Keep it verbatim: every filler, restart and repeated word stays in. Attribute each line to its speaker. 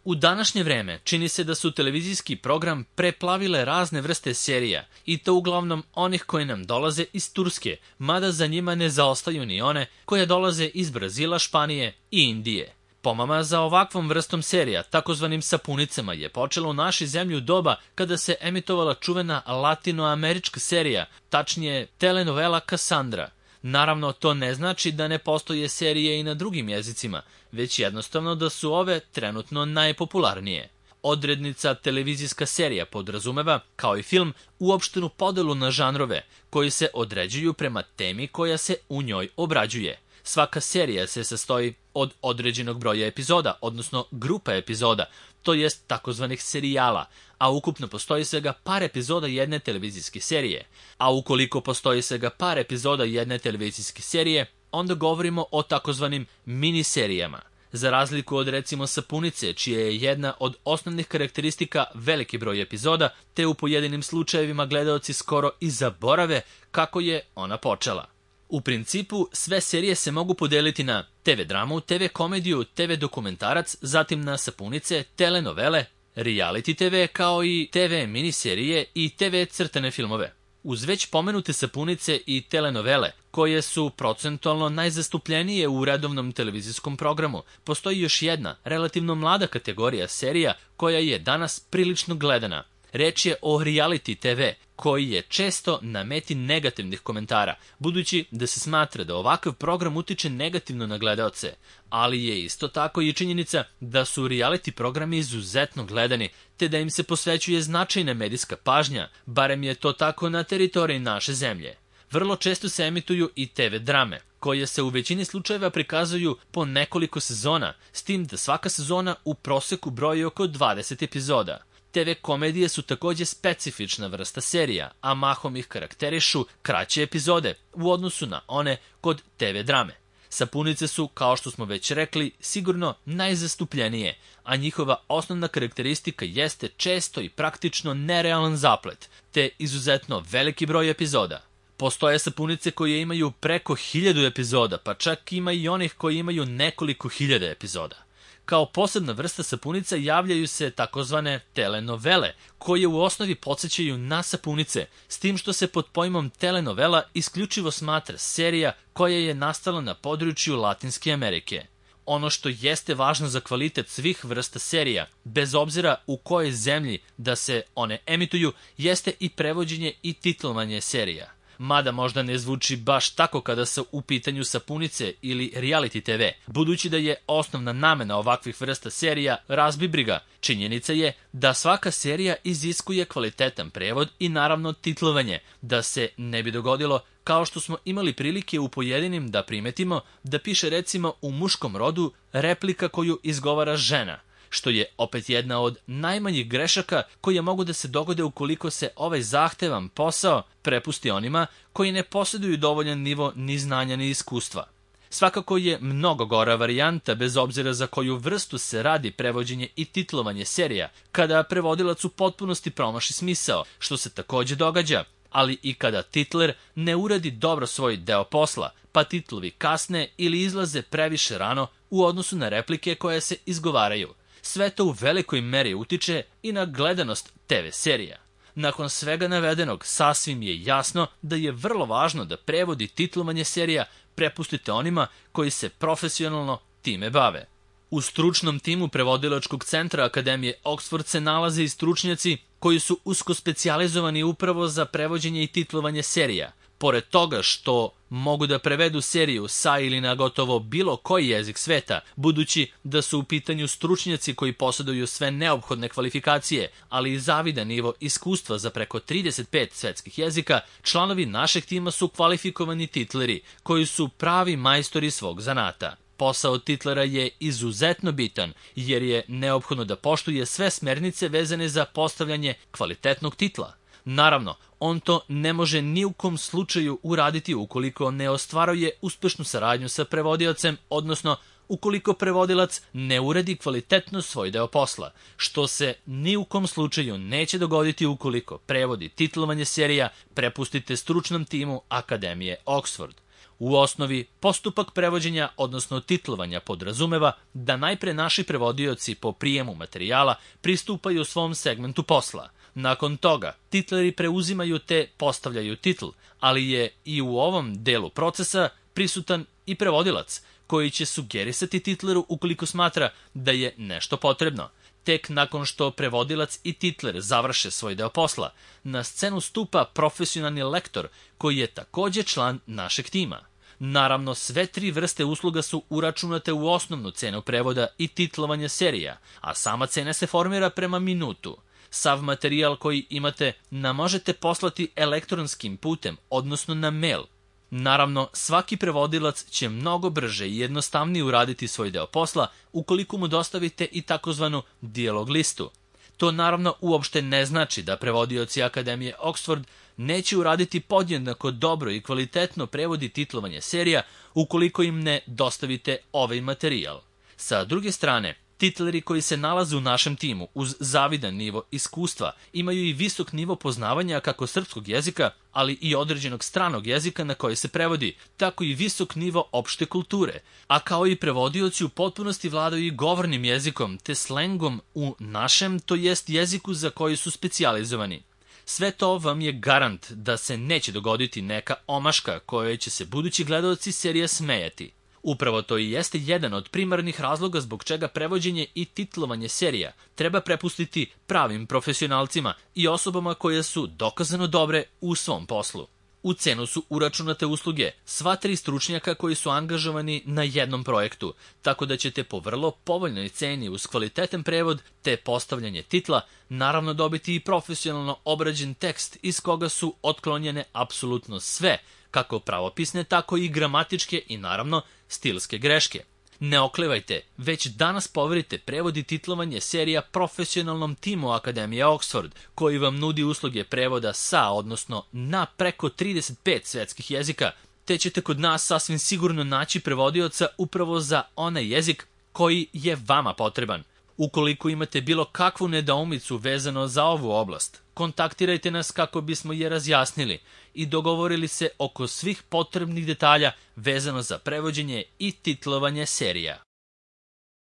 Speaker 1: U današnje vreme čini se da su televizijski program preplavile razne vrste serija i to uglavnom onih koje nam dolaze iz Turske, mada za njima ne zaostaju ni one koje dolaze iz Brazila, Španije i Indije. Pomama za ovakvom vrstom serija, takozvanim sapunicama, je počela u našoj zemlji u doba kada se emitovala čuvena latinoamerička serija, tačnije telenovela Kasandra. Naravno, to ne znači da ne postoje serije i na drugim jezicima, već jednostavno da su ove trenutno najpopularnije. Odrednica televizijska serija podrazumeva, kao i film, uopštenu podelu na žanrove, koji se određuju prema temi koja se u njoj obrađuje. Svaka serija se sastoji od određenog broja epizoda, odnosno grupa epizoda, to jest takozvanih serijala, a ukupno postoji svega par epizoda jedne televizijske serije. A ukoliko postoji svega par epizoda jedne televizijske serije, onda govorimo o takozvanim miniserijama. Za razliku od recimo Sapunice, čija je jedna od osnovnih karakteristika veliki broj epizoda, te u pojedinim slučajevima gledaoci skoro i zaborave kako je ona počela. U principu, sve serije se mogu podeliti na te ve dramu, te ve komediju, te ve dokumentarac, zatim na sapunice, telenovele, reality te ve, kao i te ve miniserije i te ve crtane filmove. Uz već pomenute sapunice i telenovele, koje su procentualno najzastupljenije u redovnom televizijskom programu, postoji još jedna, relativno mlada kategorija serija koja je danas prilično gledana. Reč je o reality te ve, koji je često na meti negativnih komentara, budući da se smatra da ovakav program utiče negativno na gledaoce, ali je isto tako i činjenica da su reality programi izuzetno gledani, te da im se posvećuje značajna medijska pažnja, barem je to tako na teritoriji naše zemlje. Vrlo često se emituju i te ve drame, koje se u većini slučajeva prikazuju po nekoliko sezona, s tim da svaka sezona u proseku broji oko dvadeset epizoda. te ve komedije su takođe specifična vrsta serija, a mahom ih karakterišu kraće epizode u odnosu na one kod te ve drame. Sapunice su, kao što smo već rekli, sigurno najzastupljenije, a njihova osnovna karakteristika jeste često i praktično nerealan zaplet, te izuzetno veliki broj epizoda. Postoje sapunice koje imaju preko hiljadu epizoda, pa čak ima i onih koji imaju nekoliko hiljada epizoda. Kao posebna vrsta sapunica javljaju se takozvane telenovele, koje u osnovi podsjećaju na sapunice, s tim što se pod pojmom telenovela isključivo smatra serija koja je nastala na području Latinske Amerike. Ono što jeste važno za kvalitet svih vrsta serija, bez obzira u kojoj zemlji da se one emituju, jeste i prevođenje i titlovanje serija. Mada možda ne zvuči baš tako kada su u pitanju sapunice ili reality te ve, budući da je osnovna namena ovakvih vrsta serija razbi briga. Činjenica je da svaka serija iziskuje kvalitetan prevod i naravno titlovanje, da se ne bi dogodilo kao što smo imali prilike u pojedinim da primetimo da piše recimo u muškom rodu replika koju izgovara žena, što je opet jedna od najmanjih grešaka koje mogu da se dogode ukoliko se ovaj zahtevan posao prepusti onima koji ne posjeduju dovoljan nivo ni znanja ni iskustva. Svakako je mnogo gora varijanta, bez obzira za koju vrstu se radi prevođenje i titlovanje serija, kada prevodilac u potpunosti promaši smisao, što se takođe događa, ali i kada titler ne uradi dobro svoj deo posla, pa titlovi kasne ili izlaze previše rano u odnosu na replike koje se izgovaraju. Sve to u velikoj meri utiče i na gledanost te ve serija. Nakon svega navedenog, sasvim je jasno da je vrlo važno da prevod i titlovanje serija prepustite onima koji se profesionalno time bave. U stručnom timu prevodilačkog centra Akademije Oxford se nalaze i stručnjaci koji su usko specijalizovani upravo za prevođenje i titlovanje serija. Pored toga što mogu da prevedu seriju sa ili na gotovo bilo koji jezik sveta, budući da su u pitanju stručnjaci koji posjeduju sve neophodne kvalifikacije, ali i zavidan nivo iskustva za preko trideset pet svetskih jezika, članovi našeg tima su kvalifikovani titleri, koji su pravi majstori svog zanata. Posao titlera je izuzetno bitan, jer je neophodno da poštuje sve smernice vezane za postavljanje kvalitetnog titla. Naravno, on to ne može ni u kom slučaju uraditi ukoliko ne ostvaruje uspešnu saradnju sa prevodiocem, odnosno ukoliko prevodilac ne uradi kvalitetno svoj deo posla, što se ni u kom slučaju neće dogoditi ukoliko prevodi titlovanje serija prepustite stručnom timu Akademije Oxford. U osnovi, postupak prevođenja, odnosno titlovanja, podrazumeva da najpre naši prevodioci po prijemu materijala pristupaju svom segmentu posla. Nakon toga, titleri preuzimaju te postavljaju titl, ali je i u ovom delu procesa prisutan i prevodilac, koji će sugerisati titleru ukoliko smatra da je nešto potrebno. Tek nakon što prevodilac i titler završe svoj deo posla, na scenu stupa profesionalni lektor koji je takođe član našeg tima. Naravno, sve tri vrste usluga su uračunate u osnovnu cenu prevoda i titlovanja serija, a sama cena se formira prema minutu. Sav materijal koji imate nam možete poslati elektronskim putem, odnosno na mail. Naravno, svaki prevodilac će mnogo brže i jednostavnije uraditi svoj deo posla ukoliko mu dostavite i takozvanu dijalog listu. To naravno uopšte ne znači da prevodioci Akademije Oxford neće uraditi podjednako dobro i kvalitetno prevodi titlovanje serija ukoliko im ne dostavite ovaj materijal. Sa druge strane, titleri koji se nalaze u našem timu uz zavidan nivo iskustva imaju i visok nivo poznavanja kako srpskog jezika, ali i određenog stranog jezika na koji se prevodi, tako i visok nivo opšte kulture, a kao i prevodioci u potpunosti vladaju i govornim jezikom te slengom u našem, to jest jeziku za koji su specijalizovani. Sve to vam je garant da se neće dogoditi neka omaška kojoj će se budući gledaoci serije smejati. Upravo to i jeste jedan od primarnih razloga zbog čega prevođenje i titlovanje serija treba prepustiti pravim profesionalcima i osobama koje su dokazano dobre u svom poslu. U cenu su uračunate usluge sva tri stručnjaka koji su angažovani na jednom projektu, tako da ćete po vrlo povoljnoj ceni uz kvalitetan prevod te postavljanje titla naravno dobiti i profesionalno obrađen tekst iz koga su otklonjene apsolutno sve, kako pravopisne, tako i gramatičke i naravno stilske greške. Ne oklevajte, već danas poverite prevod i titlovanje serija profesionalnom timu Akademije Oxford, koji vam nudi usluge prevoda sa, odnosno na preko trideset pet svetskih jezika, te ćete kod nas sasvim sigurno naći prevodioca upravo za onaj jezik koji je vama potreban. Ukoliko imate bilo kakvu nedoumicu vezano za ovu oblast, kontaktirajte nas kako bismo je razjasnili i dogovorili se oko svih potrebnih detalja vezano za prevođenje i titlovanje serija.